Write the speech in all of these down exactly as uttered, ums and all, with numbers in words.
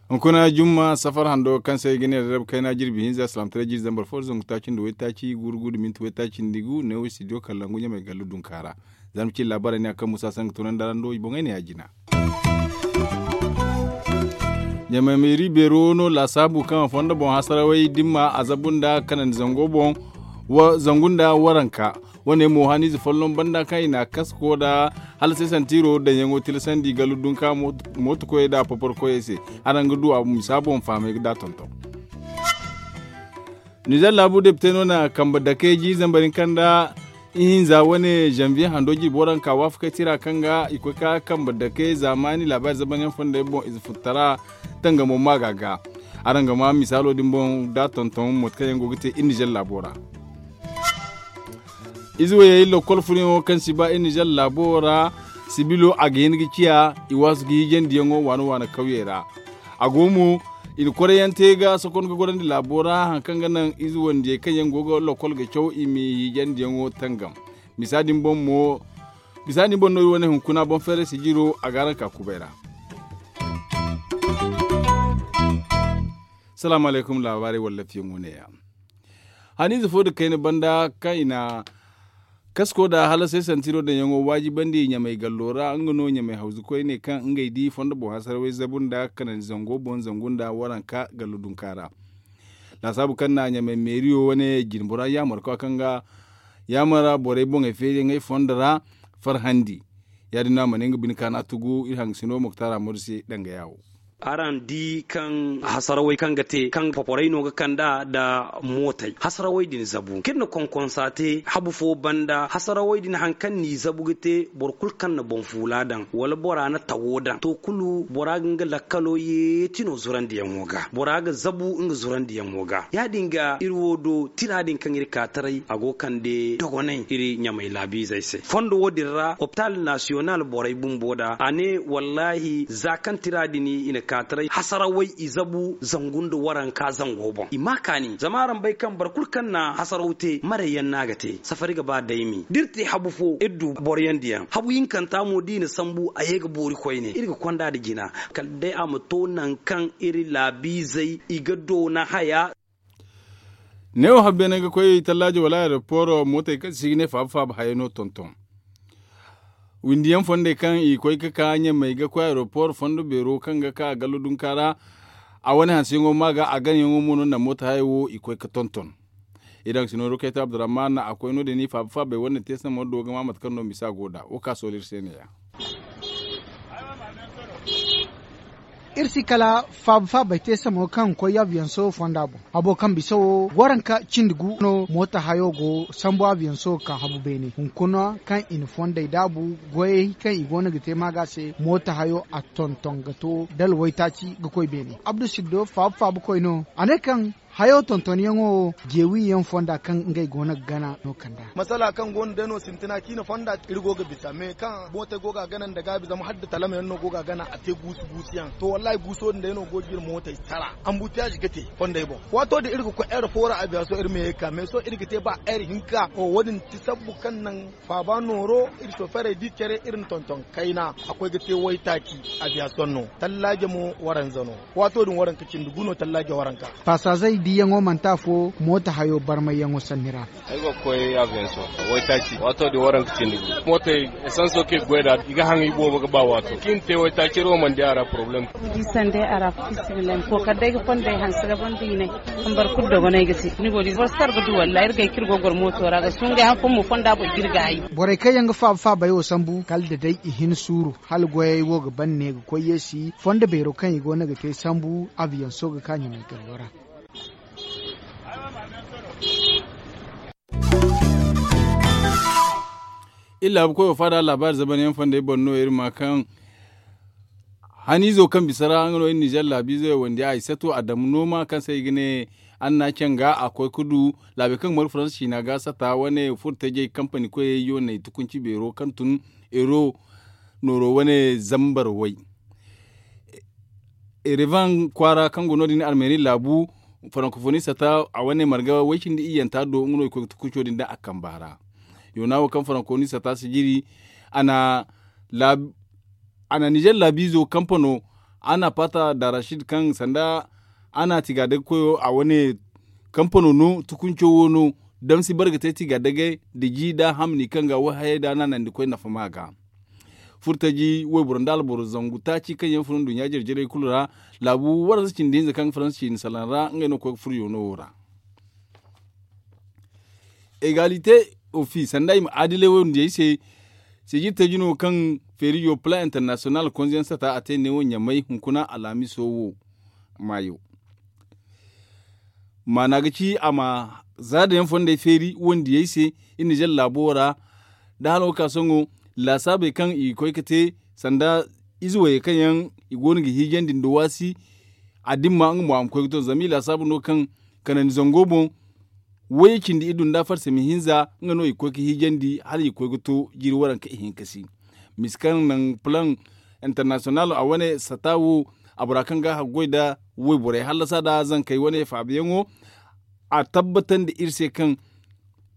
Hunkuna jumma safar hando kaŋ se i ga ne rarrab kayna jirbi hinza salaamtaray jirbi zambar fo da zangu taaci nda waytaaci gurgu da minti waytaaci nda gu neewo studio kallangu ɲamay gallu dunka ra. Za ma ci laabaarey ne a kaŋ musa sangu tunandi araŋ do i boŋey ne ya jina. Ɲamay meeri beero no laasaabu kaŋ a fondo boŋ hasarawey dimma a zabu nda kanandi zango boŋ zangu nda waranka. Wane mo haniize folloŋ banda kaŋ i na a kasko nda hala se santiro daŋyaŋo tilasandi gallu dunka mooto koyey nda a popor koyey se. Araŋ ga du a misa boŋ fahamey ga da tonton. Nizer laabu depite no na kambe dake ji zambar hinka nda ihinza wane zanviye hando jirbi waranka waafakey tira kaŋ ga i koy ka kambe dake zaamaani laabaari zabanyaŋ fondey boŋ ize futtara tangamo maaga ga. Araŋ ga ma misaalo din boŋ da tonton moto kaŋ yaŋ go ga te iri nizer laabo ra. Ize wayey lokkol furyaŋo kaŋ si ba iri nizer laabo ra sibilo a ga hin ga ciya i waasu ga hiijandiyaŋo waana waana kawyey ra. A go mo i na korayante ga sokon ga gorandi laabo ra hari kaŋ ga naŋ ize wandiyey kaŋ yaŋ go ga lokkol ga caw i ma hiijandiyaŋo tangam. Misa din boŋ mo misa din boŋ no iri wane hunkuna boŋ feeray sijiro a ga araŋ ka kubay ra. Salaamu alaykum laabaarey wallafiyaŋo ne- ya. Haniize fo nda kayna banda kaŋ i na kasko nda hala se santiro daŋyaŋo waajibandi ɲamay gallo ra nga no ɲamay hawzu koyne kaŋ ngey di fondo boŋ hasarawey zabu nda kanandi zango boŋ zangu nda waranka gallo dunka ra. Laasaabu kaŋ na ɲamay meeriyo wane jinbora yaamar koy kaŋ ga yaamar borey boŋey feeriyaŋey fondo ra farhandi. Ya- din no a mana nga bine kaana tugu iri hangasino moktaara modu se danga yaawo. Araŋ di kaŋ hasarawey kaŋ ga te kaŋ poporey no ga kand'a nda mootey hasarawey din zabu kaŋ iri na konkonsa te habu fo banda hasarawey din hari kaŋ n'i zabu ga te boro kulu kaŋ na boŋ fuula daŋ wala bora na tawo daŋ to kulu bora ga nga lakkalo yeeti no zurandiyaŋo ga bora ga zabu nga zurandiyaŋo ga ya- din ga iri wo do tira din kaŋ iri ka taray a go ga kande dogonay iri ɲamay laabiizey se fondo wo- din ra opitaal nasiyonal borey bumbo da a ne wallaahi za kaŋ tira din i na ka taray hasarawey i zabu zangu nda waranka zango boŋ i ma kaani zama araŋ bay kaŋ boro kulu kaŋ na hasaraw te marayyaŋ no a ga te safari ga ba daymi da iri te habu fo iri du boroyaŋ diyaŋ habu hinkanta mo da i na sambu a ye ga boori koyne iri ga konda nda jina kala day a ma to nangu kaŋ iri laabiizey i ga doona haya. Neewo habbeene ga koy tallaajo wala aeroporo mootey kaŋ se i ga ne faaba faaba hayey no tonton. Windi yaŋ fondey kaŋ i koy ga ka ɲamey ga koy aeroporo fondo beero kaŋ ga ka gallo dunka ra a wane hanseyaŋo ma ga a ganayaŋo mo no naŋ mooto hayey wo i koy ga tonton. Iri daŋ ga si nooru kayta abdurrahman a koy no- din i faaba faabey wane te samar do ga ma mate kaŋ no misa go nd'a wo ka soolo iri se ne- ya. Iri si kala faaba faabey te samar kaŋ ga koy abiyanso fonda boŋ habo kaŋ bisa wo waranka cindi gu no mooto hayo go sambu abiyanso ga ka habu beene hunkuna kaŋ i na fondey daabu goyey kaŋ i go no ga te maaga se mooto hayo a tonton ga to dala waytaaci ga koy beene abdu siddo faaba faaba koy no a ne kaŋ hayo tontonyaŋo wo jeewi yaŋ fonda kaŋ ngey go no ga gana no kand'a. Masala kaŋ go no day no sintina ciine fonda iri go ga bisa me kaŋ mootey go ga a gana nda gaabi zama hala da talama yaŋ no go ga a gana a te guusu guusu yaŋ to wallahi guuso din day no go ga iri mootey sara. Ambutiyaaz ga te fondey boŋ waato din iri ga koy air fo ra abiyaso iri ma ye ga ka me sohõ iri ga te ba air hinka wo- din ti sabbu kaŋ naŋ faaba nooro iri soferey da i care iri na tonton kayna a koy ga te waytaaci. Abiyason no tallaaje mo waranza no waato din waranka cindi gu no tallaaje waranka. Pasaazey diyaŋo manti afo mooto hayo barmayyaŋo sanni ra. Ay go ga koy abiyanso waytaaci waato din waranka cindi gu mootey esanso kaŋ i ga goy nd'a i ga haŋ i boobo ga ba waato kaŋ i na te waytaaci iri wo mana di a ra poroblem. Di sande a ra fo fisibilay ma kookari day ga fondey hanse ga ban diinay. Kaŋ boro kulu dogonay ga te ni go di boro sara ga du wallaahi iri gay kaŋ iri go ga goro mooto ra ga sungay han fo mo fonda boro ga iri ga ay. Borey kaŋ yaŋ ga faaba faabey wo sambu kala da day i hin suuru hala goyey wo ga ban ne ga koy yeesi fondo beero kaŋ i go no ga te sambu abiyanso ga ka ɲumay gallo ra. Iri laabu koyo faada laabaari zabanyaŋ fondey boŋ no iri ma kaŋ haniizo kaŋ bisa ra nga no iri nizer laabiizo yaŋ wandi ay sato adamu nooma kaŋ se i ga ne anna canga a koy ga du laabey kaŋ ga mari faransa ciina ga sata wane furo tajey kampani koyey yooney tukunci beero kaŋ tun ero nooro wane zambar way. Erevan kwaara kaŋ go no- din armeni laabu farankofoni sata a wane marga way cindi iyyanta do nga no i koy ga tukunco din da a kamba ra. Yoona wo kaŋ farankofoni sata si jiri a na laabi a na nizer laabiizo kampano a na paata da rashid kaŋ sanda a na tigaadagkoyo a wane kampano no tukunco wo no damsi bare ga te tigaadagay da ji da hamni kaŋ ga wayhayey da naanandikoy nafa ma ga. Furtaji wayboro nda alboro zangu taaci kaŋ yaŋ fun nduɲɲa jare-jarey kulu ra laabu waransa cindi hinza kaŋ ga faransa ciini salaŋ ra ngey no ga koy ga furo yoono wo ra. Egalite ofi sanda i ma adilay wayndiyey se. Sijir taji no kaŋ feerijo plan international konziyaŋ sata a te neewo ɲamay hunkuna alhamiso wo maayo. Maana ga ci a ma zaada yaŋ fondey feeri wayndiyey se. Iri na zala laabo ra da hala wo ga ka sohõ laasaabey kaŋ i ga koy ga te sanda ize wayey kaŋ yaŋ i go no ga hiijandi nda waasi. A dimma nga mo a ma koy ga to zama i laasaabu no kaŋ kanandi zango boŋ way cindi iddu nda farsami hinza nga no i ga koy ga hiijandi hala i ga koy ga to jiiri waranka ihinka si. Misi kaŋ naŋ plan international a wane sata wo a bora kaŋ ga haggoy nda wayborey hallasa nda zankey wane faabayaŋo. A tabbatandi iri se kaŋ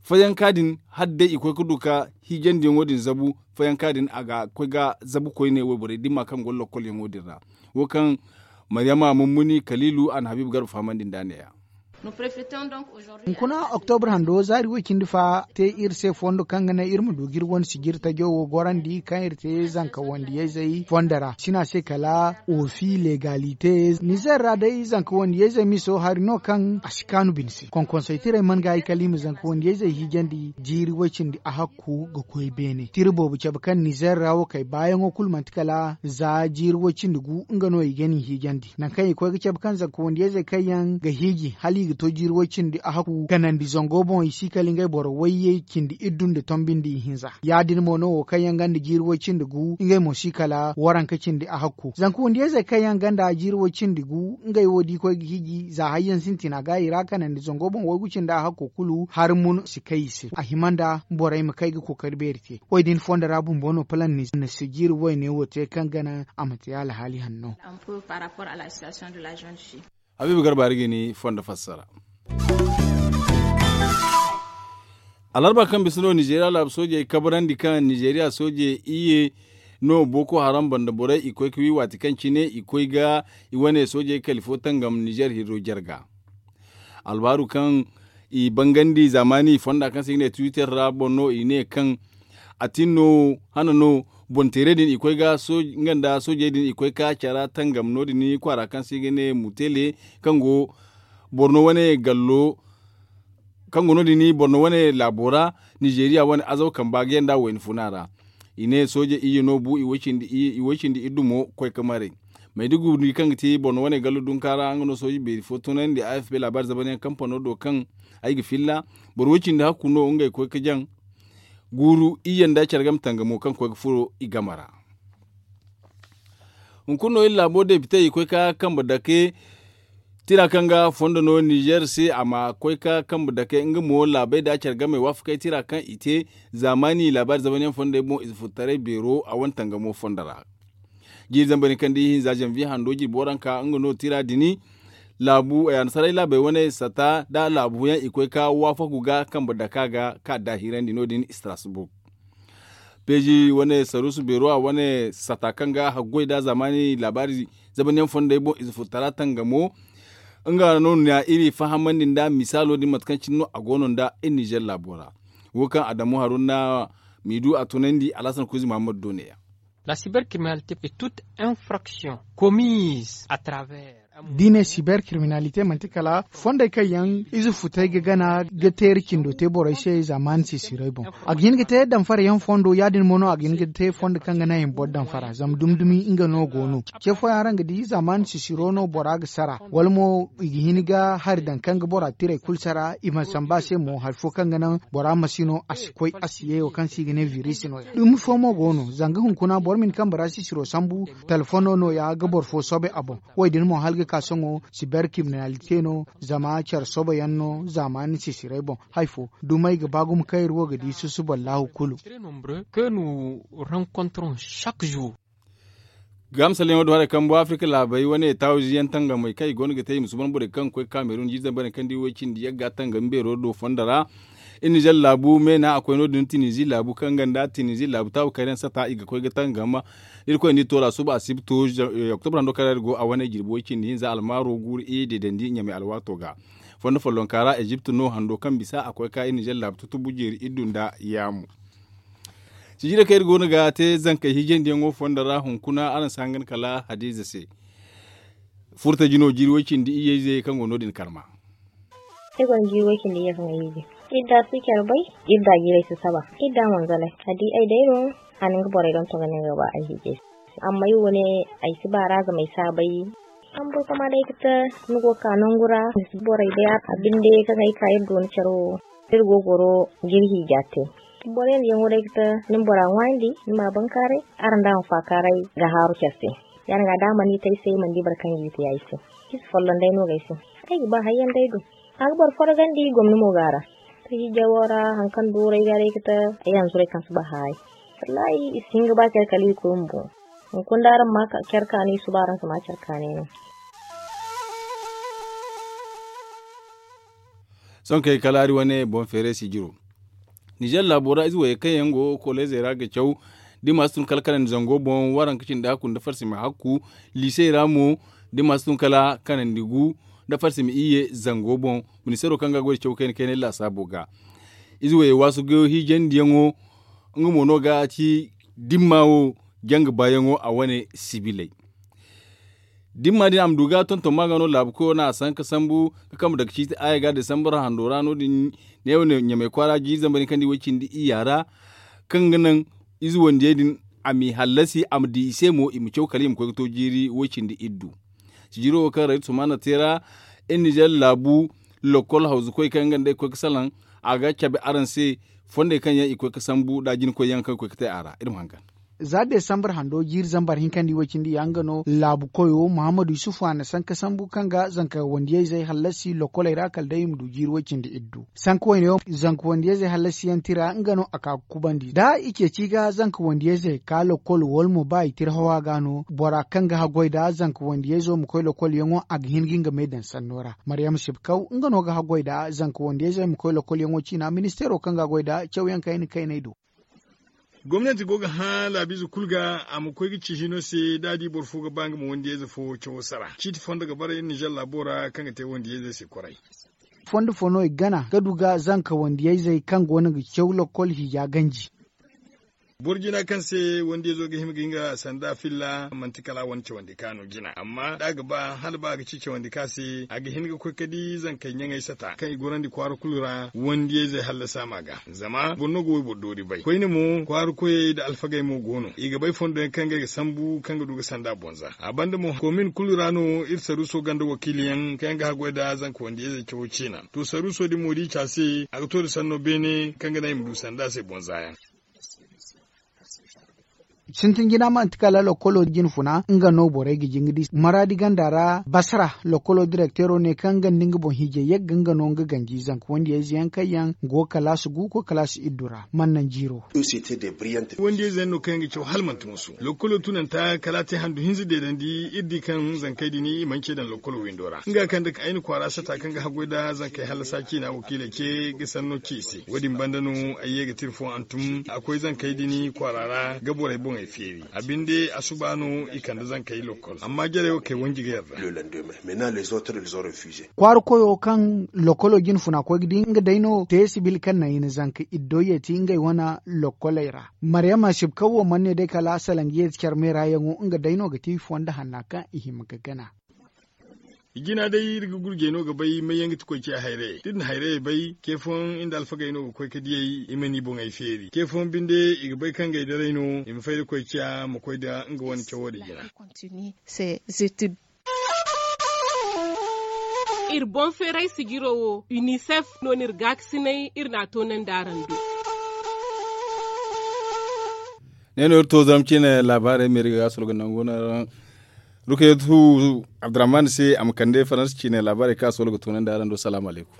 fayanka din hala day i koy ga du ga hiijandiyaŋo din zabu fayanka din a ga koy ga zabu koyne wayborey dimma kaŋ go lokkolyaŋo din ra. Wo kaŋ maryama mummuni kaliilu a na habiibu garba fahamandi nd'a neeya. Hunkuna oktobra hando zaari way cindi fa te iri se fondo kaŋ ga naŋ iri ma du ga iri wane sijiri tajo wo gorandi kaŋ iri te zanka wandiyayzey fondo ra sina se kala ofi legalite nizer ra day zanka wandiyayzey miso hari no kaŋ a si kaanu bine se konkonsey tirey man ga ay kala i ma zanka wandiyayzey hiijandi jiiri way cindi a hakku ga koy beene tira boobo cabe kaŋ nizer ra wo kay baayaŋo kulu manti kala za jiiri way cindi gu nga no i ga ni hiijandi nangu kaŋ i koy ga cabe kaŋ zanka wandiyayzey kaŋ yaŋ ga hiiji hala i ga to jiiri way cindi a hakku kanandi zango boŋ i si kala ngey boro wayyey cindi iddu nda tombi nda ihinza ya- din mo no wo kaŋ yaŋ gonda jiiri way cindi gu ngey mo si kala waranka cindi a hakku zanka wandiyayzey kaŋ yaŋ gonda jiiri way cindi gu ngey wo da i koy ga hiiji za hayyaŋ sintina ga i ra kanandi zango boŋ waygu cindi a hakku kulu hari mun si kay i se a hima nda borey ma kay ga kookari beeri te. Wo- din fondo ra bumbo no palan ni na sijiri wayne wo te kaŋ ga naŋ a ma te alhaali hanno. Habiibu garba hari ga ni fondo fassara. Alarba kaŋ bisa no nizeeriya laabu soojey kabrandi kaŋ nizeeriya soojey iyye no boko haram banda borey i koy ga wi waati kaŋ cine i koy ga i wane soojey kali fo tangam nizeer hirro jarga. Albaaru kaŋ i bangandi zaamaani fonda kaŋ se i ga ne twitter ra boŋ no i ne kaŋ a tin no hana no boŋ teerey din i koy ga nga nda soojey din i koy ga cara tangam no- din kwaara kaŋ se i ga ne mutele kaŋ go borno wane gallo kaŋ go no- din borno wane laabo ra nizeeriya wane azaw kamba ga yanda wayna funa ra. I ne sooje iyye no bu i way cindi iddu mo koy ga maray. Mayduguri kaŋ ga ti borno wane gallo dunka ra nga no sooje beeri fo tunandi a f b laabaari zamanyaŋ kampano do kaŋ ay ga filla boro way cindi hakku no ngey koy ga jaŋ. Guuru iyye nda care game tangamo kaŋ koy ga furo i game ra. Hunkuna no iri laabo depite i koy ga kambe dake tira kaŋ ga fondo no nizer se a ma koy ga kambe dake nga mo laabey nda care game waafakey tira kaŋ i te zaamaani laabaari zamanyaŋ fondey boŋ ize furtaray beero a wane tangamo fondo ra. Jiiri zambar ni kaŋ da ihinza zanviye hando jirbi waranka nga no tira din laabu annasaray laabey wane sata nda laabu yaŋ i koy ga waafaku ga kambe daka ga ka daahirandi no- din strasbourg. Peeji wane saruusu beero a wane sata kaŋ ga haggoy nda zaamaani laabaari zamanyaŋ fondey boŋ ize furtara tangamo. Nga no na iri fahamandi nda misaalo din mate kaŋ cine no a go no nda iri nizer laabo ra. Wo kaŋ adamu haruna miidu a tunandi alhasan kuuzi mahammadu do neeya. La cybercriminalité est toute infraction commise à travers da i ne cybercriminalité manti kala fondey kaŋ yaŋ ize futey ga gana ga teeri cindo te borey se zaamaani sisirey boŋ. A ga hin ga te damfara yaŋ fondo ya- din mo no a ga hin ga te fondo kaŋ ga naŋ i ma boro damfara zama dumi dumi nga no go no. Ce fooyaŋ ra nga di zaamaani sisiro no bora ga sara wala mo i ga hin ga hari daŋ kaŋ ga bora tirey kulu sara i mana samba a se mo hari fo kaŋ ga naŋ bora ma si no a si koy a si ye wo kaŋ se i ga ne virisi no- ya dumi fo mo go no zanga hunkuna boro ma hin kambe ra sisiro sambu. Telefono no- ya ga boro fo soobay a boŋ. Wo- din mo hala ga ka sohõ cybercriminalité no zama care soobay yaŋ no zaamaani sisirey boŋ. Hari fo dumey ga ba gumo kaŋ iri wo ga di susuballahu kulu. Que nous rencontrons chaque jour. Ga misalyaŋo do haray kambo afirka laabey wane taawizi yaŋ tangamey kaŋ i go no ga te i ma suban borey kaŋ ga koy ga kaameerun jiiri zambarey kaŋ di way cindi yagga tangami beero do fondo ra. Iri nizer laabu meena a koy no- din tinizi laabu kaŋ ganda tinizi laabu taawu kayraŋ sata i ga koy ga tangama. Irkoy nda i toora suba asibto oktobra hando kaŋ ra iri go a wane jirbi way cindi hinza almaaro guuru i deedandi ɲamey alwaato ga. Fondo follonka ra ezipt no hando kaŋ bisa a koy ga ka iri nizer laabu tutubu jeeri iddu nda yaamu. Sijira kaŋ iri go no ga te zankey hiijandiyaŋo fondo ra hunkuna araŋ si hangan kala hadiize se. Furta jino jiiri way cindi iyye ize kaŋ go no- din karma. Iri gonda jiiri way cindi iyye kaŋ ay hiiji. Iri da si care bay. Iri da jiiray si saba. Iri da manzalay a di ay day no. A na nga borey donton ga ne nga ga ba ay hiijay se. Amma iri wo ne ay si ba ra zama ay si a bay. Kambo kama day ga te ni go ga ka nangu ra ni si borey day a binde kaŋ ay ka iri dooni care wo. Iri go ga goro ga iri hiija te. Boro yaŋ diyaŋo day ga te ni ma bora ŋwaayandi ni ma a bankaaray. Araŋ da a ma faakaaray ga haaru care se. Ya- din ga da a mana i te ay se ay mana di boro kaŋ ga i te ay se. Iri si folloŋ day no ga ay se. Ay ga ba hayyaŋ day du. A ga boro forogandi gomni mo go a ra. Te hiija wo ra hari kaŋ duuray ga day ga te ay hanzuray kaŋ si ba haaray. Wallaahi i si hin ga ba care kala i koy bumbo. Hunkuna da araŋ ma care kaanu i suba araŋ si ma care kaanay no. Sohõ kay kala hari wane boŋ feeray sijiro. Nizer laabo ra ize wayey kaŋ yaŋ go koleezey ra ga caw. Da i ma si tun kala kanandi zango boŋ waranka cindi hakku nda farsima hakku. Liisey ra mo da i ma si tun kala kanandi gu nda farsima iyye zango boŋ. Ministeero kaŋ ga goy da caw kayna kaynay laasaabo ga. Ize wayey waasu goyo hiijandiyaŋo. Nga mo no ga ci dimma wo janga baayaŋo a wane sibiley. Dimma din a ma du ga tonton ma ga no laabu koyo no a sanka sambu ga kambe daga ciiti aya ga desambar hando ra no- din. Neewo ne ɲamey kwaara jiiri zambar din kaŋ di way cindi iyya ra. Kaŋ ga naŋ ize wandiyey din a m'i hallasi a ma di i se mo i ma caw kala i ma koy ga to jiiri way cindi iddu. Sijiro wo kaŋ raytu sumaana te ra iri nizer laabu lokol hawzukoy kaŋ nga nda ay koy ga salaŋ. A ga cabe araŋ se fondey kaŋ yaŋ i koy ga sambu nda jinkoy yaŋ kaŋ ga koy ga te a ra iri ma hangan. Za desambar hando jiiri zambar hinka nda i way cindi ya nga no laabu koyo muhammadu yusufu a na sanka sambu kaŋ ga zanka wandiyayzey hallasi lokoley ra kala day i ma du jiiri way cindi iddu. Sanka wayne wo zanka wandiyayzey hallasiyaŋ tira nga no a ka ga kubandi da i ceeci ga zanka wandiyayzey ka lokol wala mo ba i tira hawa ga no bora kaŋ ga haggoy nda zanka wandiyayzo ma koy lokolyaŋo a ga hin ga nga me daŋ sanno ra. Maryam sibkaw nga no ga haggoy nda zanka wandiyayzey ma koy lokolyaŋo ciina ministeero kaŋ ga a goy nda cawyaŋ kayna kayney do. Gomnanti go ga hã laabiize kulu ga a ma koy ga ci hino se da a di boro fo ga ba nga ma wandiyayze fo cawo sara ciiti fondo ga bara iri nizer laabo ra kaŋ ga te wandiyayzey se koray. Fondo fo no i gana ga du ga zanka wandiyayzey kaŋ go no ga caw lokol hiija ganji. Boro jina kaŋ se wandiyayzo ga hima ga hin ga sanda filla manti kala a wane cawandi ka no jina amma da a ga ba hala ba a ga ci cawandi ka se a ga hin ga koy ga di zankey ɲaŋey sata kaŋ i gorandi kwaara kulu ra wandiyayzey hallasa ma ga. Zama boro no ga wayboro doori bay koyne mo kwaara koyey nda alfagey mo go no i ga bay fondo yaŋ kaŋ ngey ga sambu kaŋ ga du ga sanda boŋ za a banda mo komin kulu ra no iri saruuso ganda wakiiliyaŋ kaŋ yaŋ ga haggoy nda zanka wandiyayzey cawo ciina to saruuso din mo da i ci a se a ga to nda sanno beene kaŋ ga naŋ i ma du sanda se boŋ za yaŋ. Sintin jina manti kala lokolo jine funa nga no borey ga jin ga di maraadi ganda ra basara lokolo direkteero ne kaŋ nga nda nga boŋ hiijay yagga nga no nga ganji zanka wandiyayze yaŋ kaŋ yaŋ go ga kalaasi gu koy kalaasi iddu ra. Mana naŋ jiiro. Wandiyayze yaŋ no kaŋ yaŋ ga caw hala manti musu lokolo tunanta kala a te handu hinza deedandi iri di kaŋ zankey din i mana ce daŋ lokolo windo ra nga kaŋ da ay na kwaara sata kaŋ ga haggoy nda zankey hallasa ciina wakiiley ce ga sanno ci i se wo- din banda no ay ye ga tira fo hantum a koy zankey din kwaara ra ga borey boŋey feeri a binde a suba no i kande zankey lokol amma jarey wo kay wanji ga yarda. Kwaara koyo kaŋ lokolo jine funa koy ga di nga day no te sibil kaŋ naŋ i na zanka iddo yeeti ngey wane lokoley ra. Maryama sibkaw wo mana ne day kala salangi yeeti care meera yaŋo nga day no ga ti fondo hanna kaŋ i hima ga gana. I jina day iri ga gurjey no ga bay may yaŋ ga ti koy ciya hayrayey da iri na hayrayey bay ce fooyaŋ iri nda alfagey no ga koy ga diyey i ma ni boŋey feeri ce fooyaŋ binde i ga bay kaŋ ngey daray no i ma fay da koy ciya ma koy nda nga wane cawo din jina. Iri boŋ feeray sijiro wo unicef no no iri gaakasinay iri n'a toonandi araŋ do. Ne no iri to zarma ciine laabaarey meeri ga solo ga nangu no. Rukayatu abdurrahman se a ma kande faransa ciine laabaarey kaŋ a solo ga toonandi araŋ do salaamu alaykum.